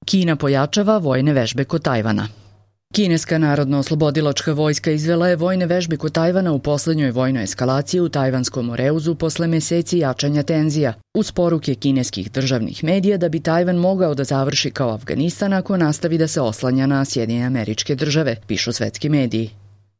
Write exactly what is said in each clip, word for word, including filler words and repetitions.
Kina pojačava vojne vežbe kod Tajvana. Kineska narodno-oslobodilačka vojska izvela je vojne vežbe kod Tajvana u poslednjoj vojnoj eskalaciji u Tajvanskom Moreuzu posle meseci jačanja tenzija, uz poruke kineskih državnih medija da bi Tajvan mogao da završi kao Avganistan ako nastavi da se oslanja na Sjedinjene Američke Države, pišu svetski mediji.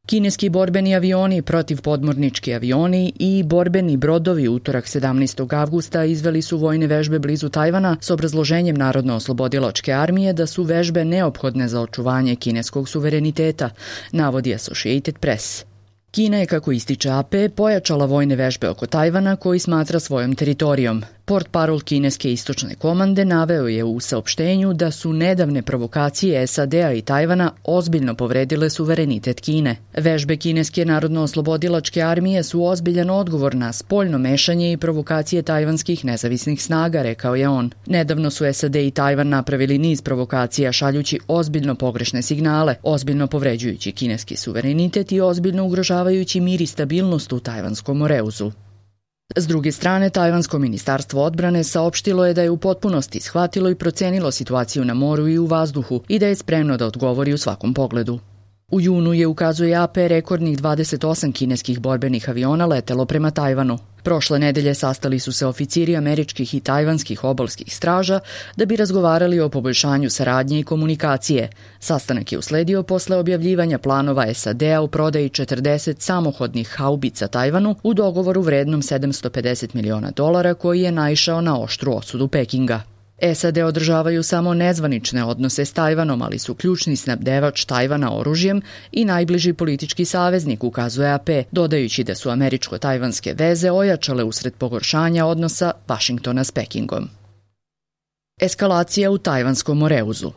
Kineski borbeni avioni, protivpodmornički avioni i borbeni brodovi utorak sedamnaestog avgusta izveli su vojne vežbe blizu Tajvana s obrazloženjem Narodno-oslobodilačke armije da su vežbe neophodne za očuvanje kineskog suvereniteta, navodi Associated Press. Kina je, kako ističe A P, pojačala vojne vežbe oko Tajvana koji smatra svojom teritorijom. Portparol kineske istočne komande naveo je u saopštenju da su nedavne provokacije S A D-a i Tajvana ozbiljno povredile suverenitet Kine. Vežbe kineske narodno-oslobodilačke armije su ozbiljan odgovor na spoljno mešanje i provokacije tajvanskih nezavisnih snaga, rekao je on. Nedavno su S A D i Tajvan napravili niz provokacija šaljući ozbiljno pogrešne signale, ozbiljno povređujući kineski suverenitet i ozbiljno ugrožavajući mir i stabilnost u Tajvanskom Moreuzu. S druge strane, Tajvansko ministarstvo odbrane saopštilo je da je u potpunosti shvatilo i procenilo situaciju na moru i u vazduhu i da je spremno da odgovori u svakom pogledu. U junu je, ukazuje A P, rekordnih dvadeset osam kineskih borbenih aviona letelo prema Tajvanu. Prošle nedelje sastali su se oficiri američkih i tajvanskih obalskih straža da bi razgovarali o poboljšanju saradnje i komunikacije. Sastanak je usledio posle objavljivanja planova S A D-a u prodaji četrdeset samohodnih haubica Tajvanu u dogovoru vrednom sedamsto pedeset miliona dolara koji je naišao na oštru osudu Pekinga. S A D održavaju samo nezvanične odnose s Tajvanom, ali su ključni snabdevač Tajvana oružjem i najbliži politički saveznik, ukazuje A P, dodajući da su američko-tajvanske veze ojačale usred pogoršanja odnosa Vašingtona s Pekingom. Eskalacija u Tajvanskom Moreuzu.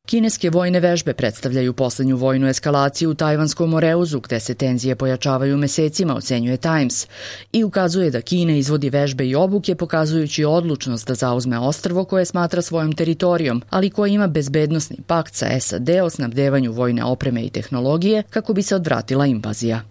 Kineske vojne vežbe predstavljaju poslednju vojnu eskalaciju u Tajvanskom Moreuzu, gde se tenzije pojačavaju mesecima, ocenjuje Times, i ukazuje da Kina izvodi vežbe i obuke pokazujući odlučnost da zauzme ostrvo koje smatra svojom teritorijom, ali koje ima bezbednosni pakt sa S A D o snabdevanju vojne opreme i tehnologije kako bi se odvratila invazija.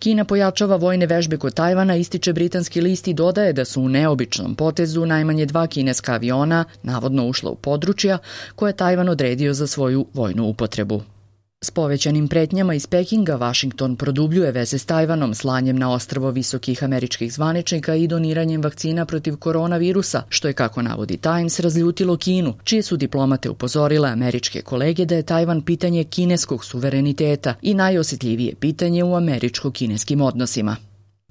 Kina pojačava vojne vežbe kod Tajvana, ističe britanski list i dodaje da su u neobičnom potezu najmanje dva kineska aviona navodno ušla u područja koje je Tajvan odredio za svoju vojnu upotrebu. S povećanim pretnjama iz Pekinga, Vašington produbljuje veze s Tajvanom slanjem na ostrvo visokih američkih zvaničnika i doniranjem vakcina protiv koronavirusa, što je, kako navodi Times, razljutilo Kinu, čije su diplomate upozorile američke kolege da je Tajvan pitanje kineskog suvereniteta i najosjetljivije pitanje u američko-kineskim odnosima.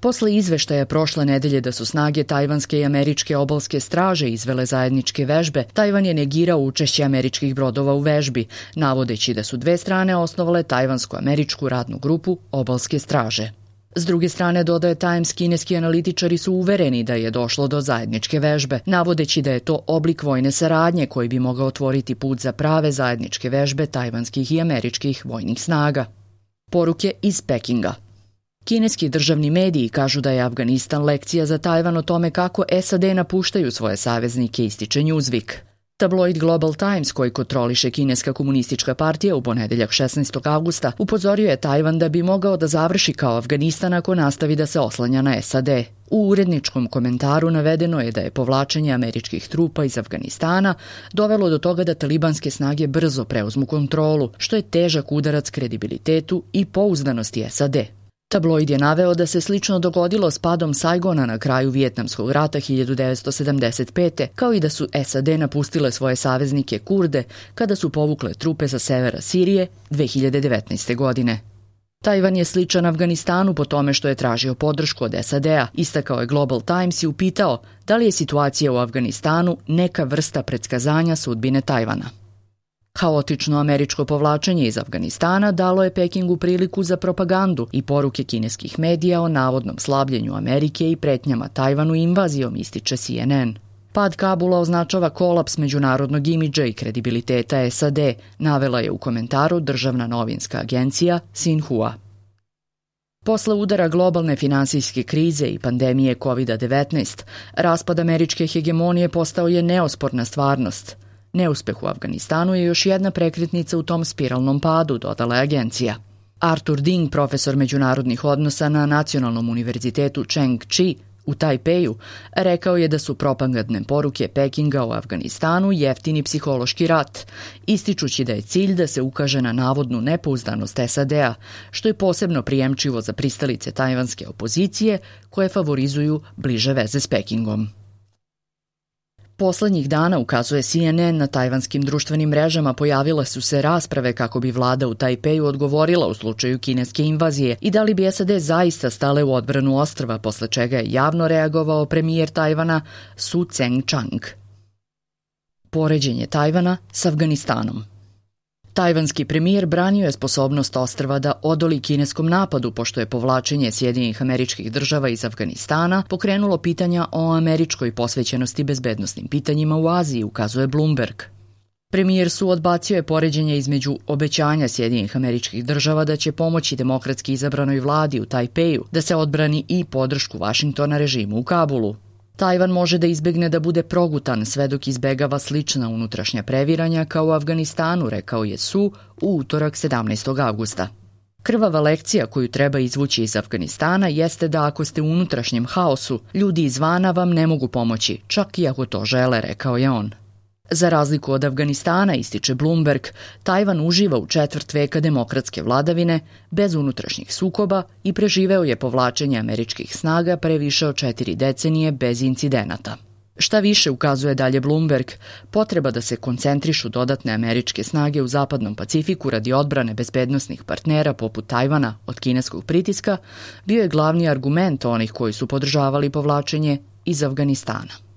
Posle izveštaja prošle nedelje da su snage tajvanske i američke obalske straže izvele zajedničke vežbe, Tajvan je negirao učešće američkih brodova u vežbi, navodeći da su dve strane osnovale tajvansko-američku radnu grupu obalske straže. S druge strane, dodaje Times, kineski analitičari su uvereni da je došlo do zajedničke vežbe, navodeći da je to oblik vojne saradnje koji bi mogao otvoriti put za prave zajedničke vežbe tajvanskih i američkih vojnih snaga. Poruke iz Pekinga. Kineski državni mediji kažu da je Avganistan lekcija za Tajvan o tome kako S A D napuštaju svoje saveznike, ističe Newsweek. Tabloid Global Times, koji kontroliše Kineska komunistička partija, u ponedeljak šesnaestog avgusta upozorio je Tajvan da bi mogao da završi kao Avganistan ako nastavi da se oslanja na S A D. U uredničkom komentaru navedeno je da je povlačenje američkih trupa iz Avganistana dovelo do toga da talibanske snage brzo preuzmu kontrolu, što je težak udarac kredibilitetu i pouzdanosti S A D. Tabloid je naveo da se slično dogodilo s padom Saigona na kraju Vijetnamskog rata hiljadu devetsto sedamdeset pete. kao i da su S A D napustile svoje saveznike Kurde kada su povukle trupe sa severa Sirije dve hiljade devetnaeste. godine. Tajvan je sličan Avganistanu po tome što je tražio podršku od S A D-a, istakao je Global Times i upitao da li je situacija u Avganistanu neka vrsta predskazanja sudbine Tajvana. Haotično američko povlačenje iz Avganistana dalo je Pekingu priliku za propagandu i poruke kineskih medija o navodnom slabljenju Amerike i pretnjama Tajvanu invazijom, ističe C N N. Pad Kabula označava kolaps međunarodnog imidža i kredibiliteta S A D, navela je u komentaru državna novinska agencija Xinhua. Posle udara globalne finansijske krize i pandemije kovid devetnaest, raspad američke hegemonije postao je neosporna stvarnost. Neuspeh u Avganistanu je još jedna prekretnica u tom spiralnom padu, dodala je agencija. Arthur Ding, profesor međunarodnih odnosa na Nacionalnom univerzitetu Cheng Chi u Tajpeju, rekao je da su propagandne poruke Pekinga o Afganistanu jeftini psihološki rat, ističući da je cilj da se ukaže na navodnu nepouzdanost S A D-a, što je posebno prijemčivo za pristalice tajvanske opozicije koje favorizuju bliže veze s Pekingom. Poslednjih dana, ukazuje C N N, na tajvanskim društvenim mrežama pojavile su se rasprave kako bi vlada u Tajpeju odgovorila u slučaju kineske invazije i da li bi S A D zaista stale u odbranu ostrva, posle čega je javno reagovao premijer Tajvana Su Tseng-chang. Poređenje Tajvana s Afganistanom. Tajvanski premijer branio je sposobnost ostrva da odoli kineskom napadu, pošto je povlačenje Sjedinjenih Američkih Država iz Afganistana pokrenulo pitanja o američkoj posvećenosti bezbednosnim pitanjima u Aziji, ukazuje Bloomberg. Premijer Su odbacio je poređenje između obećanja Sjedinjenih Američkih Država da će pomoći demokratski izabranoj vladi u Tajpeju da se odbrani i podršku Vašingtona režimu u Kabulu. Tajvan može da izbegne da bude progutan sve dok izbegava slična unutrašnja previranja kao u Afganistanu, rekao je Su u utorak sedamnaestog avgusta. Krvava lekcija koju treba izvući iz Afganistana jeste da ako ste u unutrašnjem haosu, ljudi izvana vam ne mogu pomoći, čak i ako to žele, rekao je on. Za razliku od Afganistana, ističe Bloomberg, Tajvan uživa u četvrt veka demokratske vladavine, bez unutrašnjih sukoba i preživeo je povlačenje američkih snaga pre više od četiri decenije bez incidenata. Šta više, ukazuje dalje Bloomberg, potreba da se koncentrišu dodatne američke snage u Zapadnom Pacifiku radi odbrane bezbednosnih partnera poput Tajvana od kineskog pritiska bio je glavni argument onih koji su podržavali povlačenje iz Afganistana.